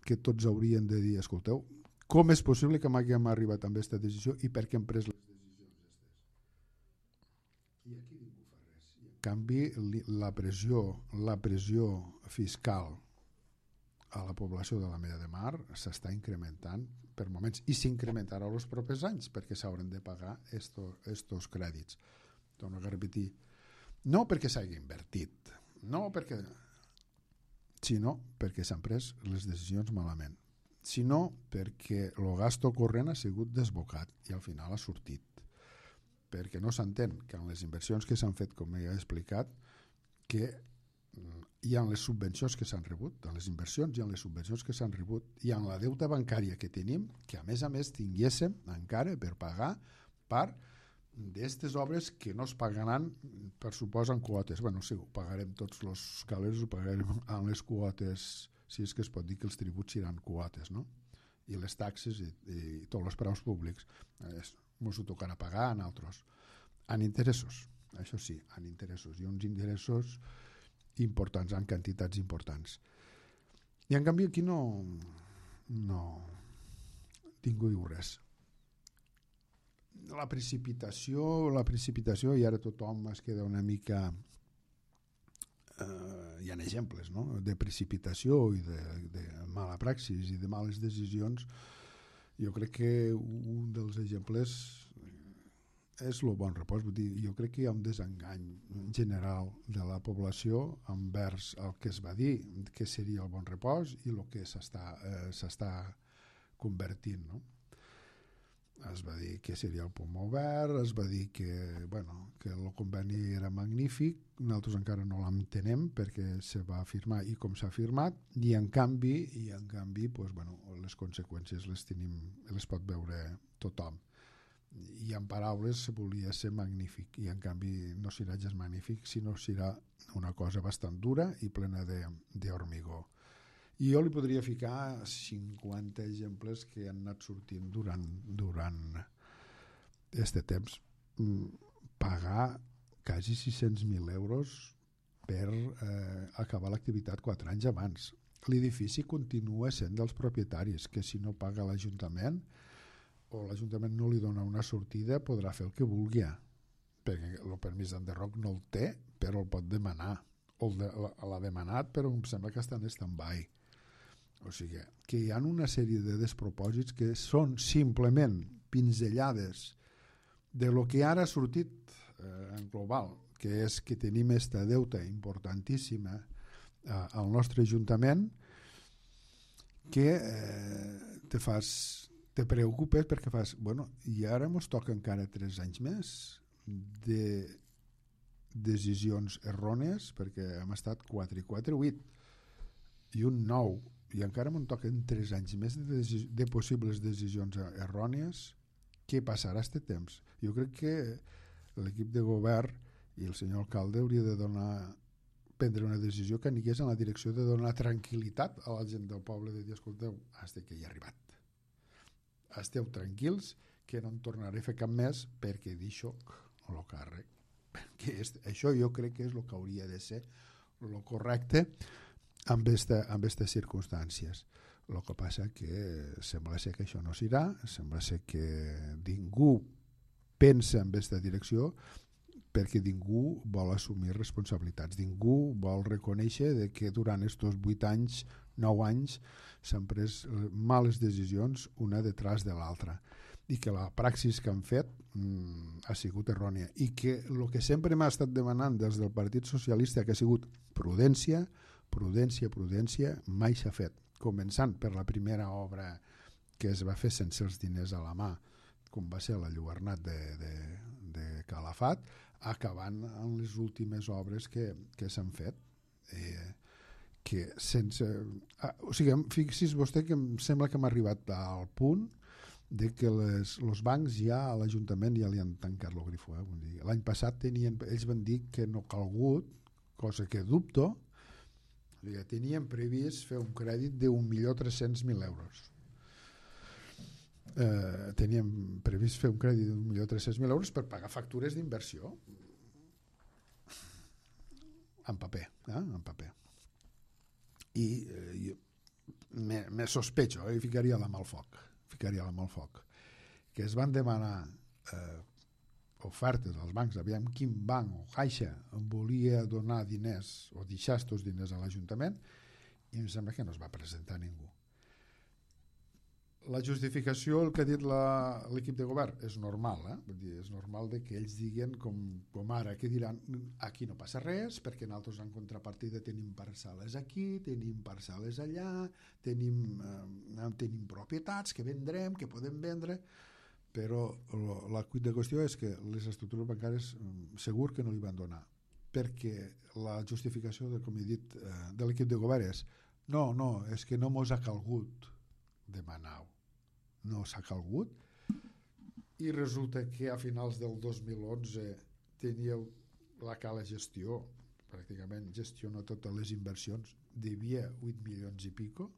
que tots haurien de dir, escolteu, com és possible que m'haguem arribat a aquesta decisió i per què hem pres les decisions aquestes? I aquí ningú fa res. En canvi, la pressió fiscal a la població de l'Ametlla de Mar s'està incrementant per moments i s'incrementarà els propers anys perquè s'hauran de pagar estos crèdits. Torno a repetir, no perquè s'hagi invertit, no perquè, sinó perquè s'han pres les decisions malament, sinó perquè el gasto corrent ha sigut desbocat i al final ha sortit. Perquè no s'entén que en les inversions que s'han fet, com he explicat, que hi ha les subvencions que s'han rebut, en les inversions hi ha les subvencions que s'han rebut, hi ha la deuta bancària que tenim, que a més tinguéssim encara per pagar part d'aquestes obres que no es pagaran per suposa en quotes. Bueno, sí, ho pagarem tots els calés, ho pagarem en les quotes, si és que es pot dir que els tributs seran quotes, no? I les taxes i tots els preus públics ens ho tocarà pagar en altres. En interessos, això sí, en interessos, i uns interessos importants, en quantitats importants. I en canvi aquí no ningú diu res. La precipitació, i ara tothom es queda una mica... hi ha exemples, no?, de precipitació i de mala praxis i de males decisions. Jo crec que un dels exemples és el bon repòs. Vull dir, jo crec que hi ha un desengany general de la població envers el que es va dir que seria el bon repòs i el que s'està convertint, no? Es va dir que seria el pulmó verd, es va dir que el conveni era magnífic, nosaltres encara no l'entenem perquè se va firmar i com s'ha firmat, i en canvi les conseqüències les pot veure tothom. I en paraules volia ser magnífic i en canvi no serà gens magnífic, sinó serà una cosa bastant dura i plena d'hormigó. I jo li podria ficar 50 exemples que han anat sortint durant este temps. Pagar quasi 600.000 euros per acabar l'activitat 4 anys abans. L'edifici continua sent dels propietaris, que si no paga l'Ajuntament o l'Ajuntament no li dona una sortida podrà fer el que vulgui, perquè el permís d'enderroc no el té, però el pot demanar, o l'ha demanat però em sembla que està en stand-by. O sigui, que hi ha una sèrie de despropòsits que són simplement pinzellades de lo que ara ha sortit en global, que és que tenim esta deuta importantíssima al nostre Ajuntament, que te preocupes perquè fas, i ara ens toca encara 3 anys més de decisions errònies, perquè hem estat 4 i 4, 8 i un 9, i encara me'n toquen 3 anys més de possibles decisions errònies. Què passarà aquest temps? Jo crec que l'equip de govern i el senyor alcalde hauria de prendre una decisió que anigués en la direcció de donar tranquil·litat a la gent del poble, de dir, escolteu, hasta que hi ha arribat. Esteu tranquils, que no en tornaré a fer cap més perquè deixoc el càrrec. Perquè això jo crec que és el que hauria de ser el correcte amb aquestes circumstàncies. El que passa que sembla ser que això no serà, sembla ser que ningú pensa en aquesta direcció perquè ningú vol assumir responsabilitats, ningú vol reconèixer que durant aquests 8 anys, 9 anys, s'han pres males decisions una detrás de l'altra i que la praxis que han fet ha sigut errònia i que el que sempre m'ha estat demanant des del Partit Socialista, que ha sigut prudència, mai s'ha fet, començant per la primera obra que es va fer sense els diners a la mà, com va ser l'enlluernat de Calafat, acabant en les últimes obres que s'han fet, que sense... O sigui, fixi's vostè que em sembla que hem arribat al punt de que els bancs ja a l'Ajuntament ja li han tancat el grifo. L'any passat ells van dir que no ha calgut, cosa que dubto. Tenien previst fer un crèdit de 1.300.000 euros. Teníem previst fer un crèdit de 1.300.000 euros per pagar factures d'inversió en paper, en paper. I me sospecho, i ficaria la mà al foc, que es van demanar ofertes als bancs, aviam quin banc o caixa volia donar diners o deixar aquests diners a l'Ajuntament, i em sembla que no es va presentar ningú. La justificació, el que ha dit l'equip de govern, és normal, Vull dir, és normal que ells diguen com ara, que diran aquí no passa res, perquè nosaltres en contrapartida tenim parcel·les aquí, tenim parcel·les allà, tenim propietats que vendrem, que podem vendre, però la qüestió és que les estructures bancàries segur que no li van donar, perquè la justificació, com he dit, de l'equip de govern és és que no mos ha calgut demanar-ho. No s'ha calgut. I resulta que a finals del 2011 teníeu la cala gestió, pràcticament gestiona totes les inversions, devia 8 milions i pico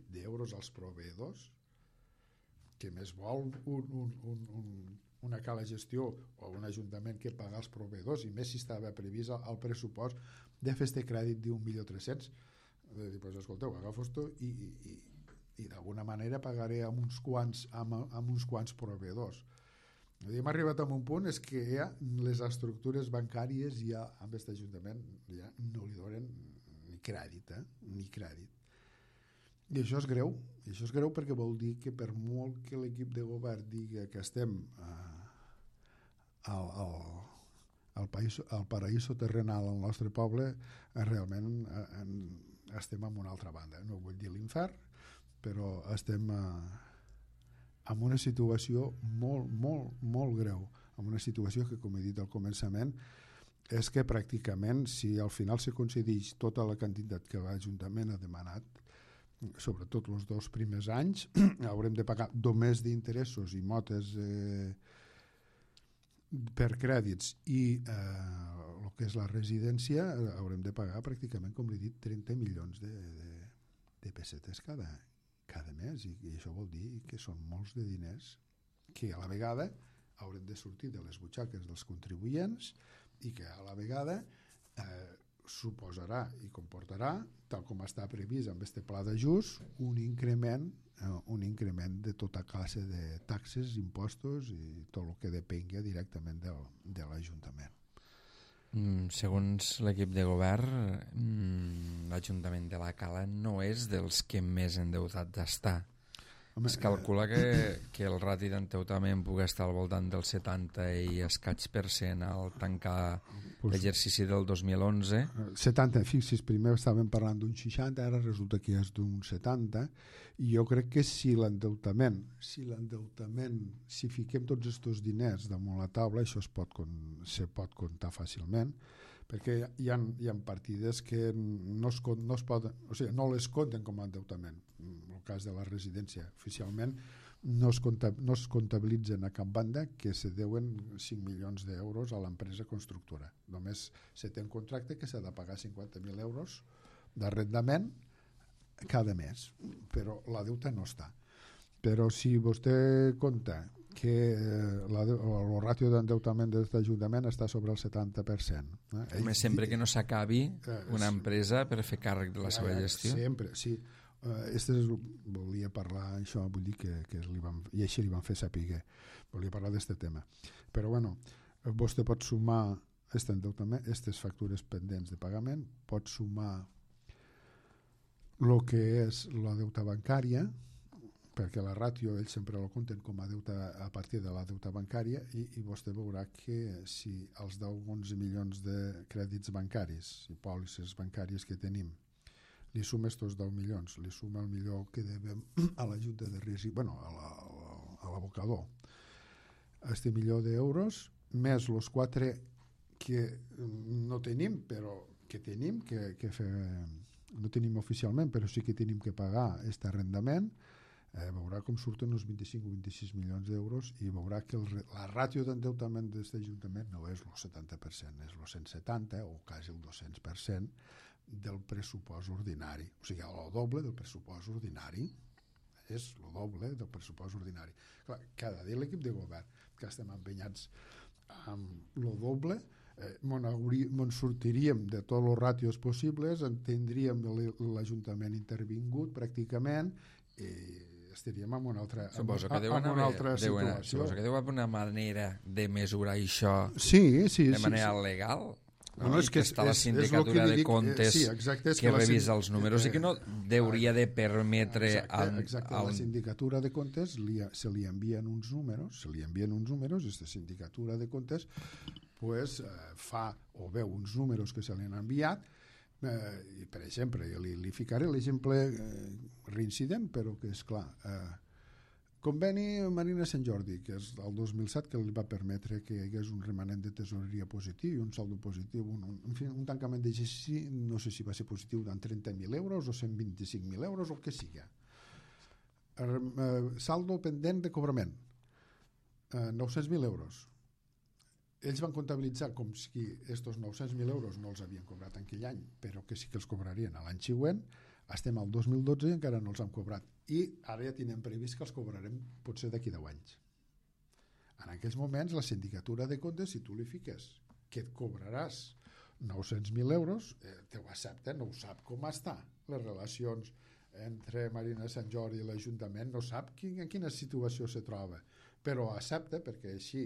d'euros als proveïdors. Què més vol una cala gestió o un ajuntament que paga els proveïdors, i més si estava previst al pressupost de fer este crèdit d'1.300.000, de dir, pues, escolteu, agafo-ho i d'alguna manera pagaré amb uns quants proveïdors. Hem arribat a un punt és que ja les estructures bancàries ja amb aquest ajuntament ja no li donen ni crèdit, ni crèdit. I això és greu, perquè vol dir que per molt que l'equip de govern digui que estem al paraíso terrenal al nostre poble, realment estem en una altra banda. No vull dir l'infern, però estem en una situació molt greu, en una situació que, com he dit al començament, és que pràcticament, si al final se concedeix tota la quantitat que l'Ajuntament ha demanat, sobretot els 2 primers anys, haurem de pagar només d'interessos i motes per crèdits i el que és la residència haurem de pagar pràcticament, com he dit, 30 milions de pessetes cada mes, i això vol dir que són molts de diners que a la vegada haurem de sortir de les butxaques dels contribuents i que a la vegada suposarà i comportarà, tal com està previst amb aquest pla d'ajust, un increment de tota classe de taxes, impostos i tot el que depengui directament de l'Ajuntament. Segons l'equip de govern, l'Ajuntament de la Cala no és dels que més endeutats està. Es calcula que el rati d'endeutament pugui estar al voltant del 70 i escaig % al tancar l'exercici del 2011. 70, fixis, primer estàvem parlant d'un 60, ara resulta que és d'un 70, i jo crec que si l'endeutament, si fiquem tots aquests diners damunt la taula, això se pot comptar fàcilment, perquè hi ha partides que no les compten com a endeutament. En el cas de la residència, oficialment no es comptabilitzen a cap banda, que se deuen 5 milions d'euros a l'empresa constructora. Només se té un contracte que s'ha de pagar 50.000 euros d'arrendament cada mes, però la deuta no està. Però si vostè compta que el ràtio d'endeutament d'aquest ajuntament està sobre el 70%. Sempre que no s'acabi una empresa per fer càrrec de la seva gestió. Sempre, sí. Volia parlar això, vull dir que i així li van fer saber, volia parlar d'aquest tema. Però bueno, vostè pot sumar aquest endeutament, aquestes factures pendents de pagament, pot sumar el que és la deuta bancària, perquè la ràtio ells sempre la compten com a deuta a partir de la deuta bancària, i vostè veurà que si els 11 milions de crèdits bancaris i pòlisses bancàries que tenim li suma estos 10 milions, li suma el millor que devem a la Junta de Risc, a l'abocador, este milió d'euros, més els 4 que no tenim, però que tenim, no tenim oficialment, però sí que tenim que pagar aquest arrendament, veurà com surten els 25 o 26 milions d'euros, i veurà que la ràtio d'endeutament d'aquest ajuntament no és el 70%, és el 170 o quasi el 200% del pressupost ordinari. O sigui, el doble del pressupost ordinari. És el doble del pressupost ordinari. Clar, cada dia l'equip de govern, que estem empenyats amb el doble, on sortiríem de tots els ràtios possibles, tindríem l'Ajuntament intervingut pràcticament, i estaríem en una altra situació. Suposo que deu haver una manera de mesurar això de manera legal. No, és que està la sindicatura de comptes que revisa els números i que no hauria de permetre... Exacte, a la sindicatura de comptes se li envien uns números, i aquesta sindicatura de comptes fa o veu uns números que se li han enviat, i per exemple, li ficaré l'exemple reincident, però que és clar, Conveni Marina Sant Jordi, que és el 2007, que li va permetre que hi hagués un remanent de tesoreria positiu i un saldo positiu, en fi, un tancament d'exercici, no sé si va ser positiu d'en 30.000 euros o 125.000 euros o el que siga. Saldo pendent de cobrament, 900.000 euros. Ells van comptabilitzar com si estos 900.000 euros no els havien cobrat en aquell any, però que sí que els cobrarien a l'any següent. Estem al 2012 i encara no els han cobrat. I ara ja tenim previst que els cobrarem potser d'aquí 10 anys. En aquells moments, la sindicatura de comptes, si tu li fiques que et cobraràs 900.000 euros, te ho accepta, no ho sap com està. Les relacions entre Marina Sant Jordi i l'Ajuntament no sap en quina situació se troba, però accepta, perquè així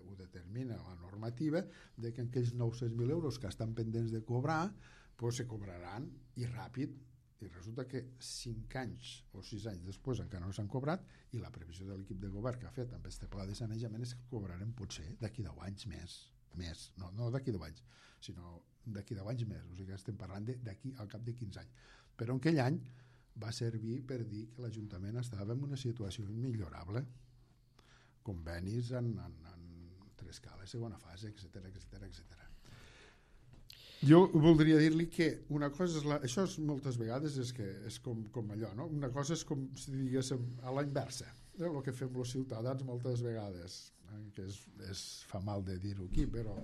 ho determina la normativa, de que aquells 900.000 euros que estan pendents de cobrar pues se cobraran i ràpid, i resulta que 5 anys o 6 anys després encara no s'han cobrat, i la previsió de l'equip de govern que ha fet amb este pla de sanejament és que cobrarem potser d'aquí 10 anys més, no d'aquí 10 anys, sinó d'aquí 10 anys més, o sigui que estem parlant d'aquí al cap de 15 anys. Però en aquell any va servir per dir que l'Ajuntament estava en una situació immillorable, convenis en 3 escales, segona fase, etc. Jo voldria dir-li que una cosa és això és moltes vegades és com allò, no? Una cosa és com si diguéssim a la inversa, el que fem els ciutadans moltes vegades, que fa mal de dir-ho aquí, però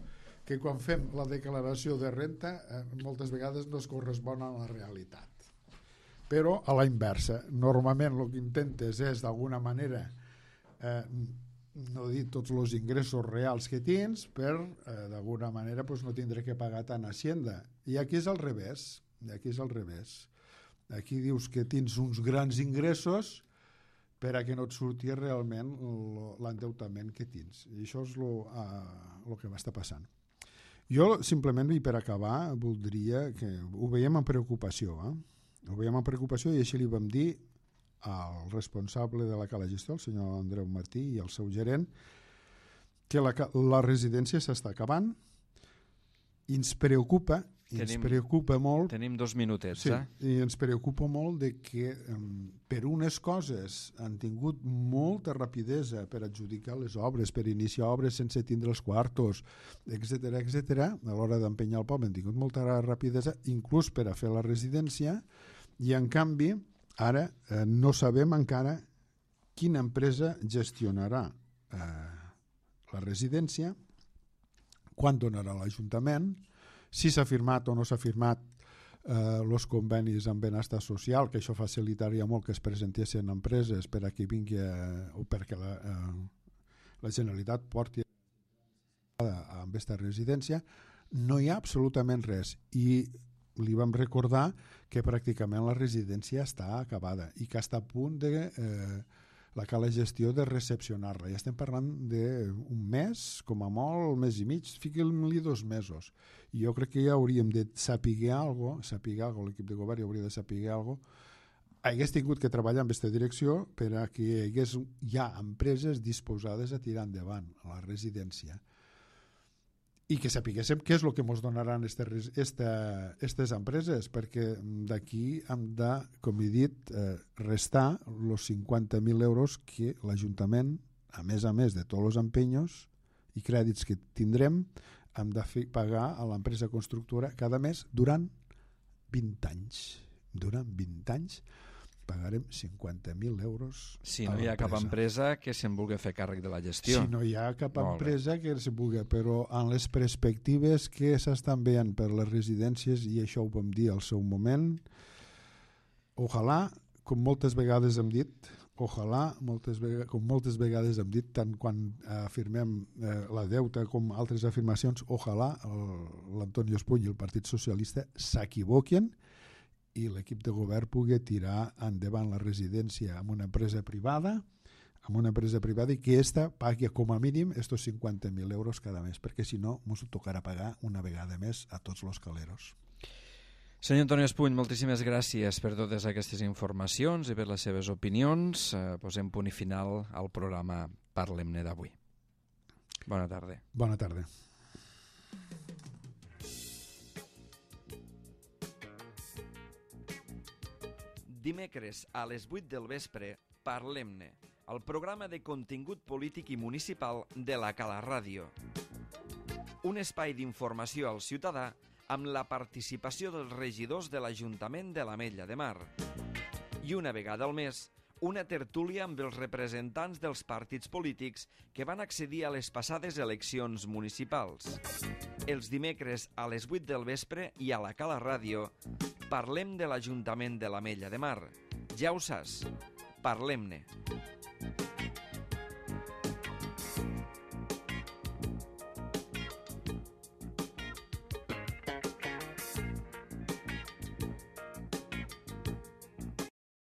que quan fem la declaració de renta moltes vegades no es correspon a la realitat. Però a la inversa, normalment el que intentes és d'alguna manera no dir tots els ingressos reals que tens per d'alguna manera no tindre que pagar tant a Hacienda, i aquí és al revés. Aquí dius que tens uns grans ingressos per a que no et surti realment l'endeutament que tens, i això és el que va estar passant. Jo simplement, i per acabar, voldria que ho veiem amb preocupació, i així li vam dir al responsable de la Cala Gestió, el senyor Andreu Martí, i el seu gerent, que la residència s'està acabant, i ens preocupa molt. Tenim 2 minutets. Sí, i ens preocupa molt de que per unes coses han tingut molta rapidesa per adjudicar les obres, per iniciar obres sense tindre els quartos, etc. A l'hora d'empenyar el poble han tingut molta rapidesa, inclús per a fer la residència, i en canvi ara no sabem encara quina empresa gestionarà la residència, quan donarà l'Ajuntament, si s'ha firmat o no s'ha firmat els convenis amb benestar social, que això facilitaria molt que es presentessin empreses per a que vingui o perquè la Generalitat porti amb aquesta residència. No hi ha absolutament res, i li vam recordar que pràcticament la residència està acabada i que està a punt de la Cala Gestió de recepcionar-la. Ja estem parlant d'un mes, com a molt, un mes i mig, fiquem-li 2 mesos. I jo crec que ja hauríem de saber alguna cosa, l'equip de govern ja hauria de saber alguna cosa, hagués tingut que treballar en aquesta direcció per a que hi hagués ja empreses disposades a tirar endavant a la residència, i que sapiguéssim què és el que ens donaran aquestes empreses, perquè d'aquí hem de, com he dit, restar els 50.000 euros que l'Ajuntament, a més de tots els empenyos i crèdits que tindrem, hem de pagar a l'empresa constructora cada mes durant 20 anys. Durant 20 anys pagarem 50.000 euros. Si no hi ha cap empresa que se'n vulgui fer càrrec de la gestió. Si no hi ha cap empresa que se'n vulgui, però en les perspectives que s'estan veient per les residències, i això ho vam dir al seu moment, ojalà, com moltes vegades hem dit, tant quan afirmem la deuta com altres afirmacions, ojalà l'Antonio Espuny i el Partit Socialista s'equivoquen i l'equip de govern pugui tirar endavant la residència amb una empresa privada, i que aquesta pagui com a mínim estos 50.000 euros cada mes, perquè si no ens tocarà pagar una vegada més a tots els caleros. Senyor Antonio Espuny, moltíssimes gràcies per totes aquestes informacions i per les seves opinions. Posem punt i final al programa Parlem-ne d'avui. Bona tarda. Bona tarda. Dimecres a les 8 del vespre, Parlem-ne, el programa de contingut polític i municipal de la Cala Ràdio. Un espai d'informació al ciutadà amb la participació dels regidors de l'Ajuntament de l'Ametlla de Mar. I una vegada al mes, una tertúlia amb els representants dels partits polítics que van accedir a les passades eleccions municipals. Els dimecres a les 8 del vespre i a la Cala Ràdio parlem de l'Ajuntament de l'Ametlla de Mar. Ja ho saps, parlem-ne.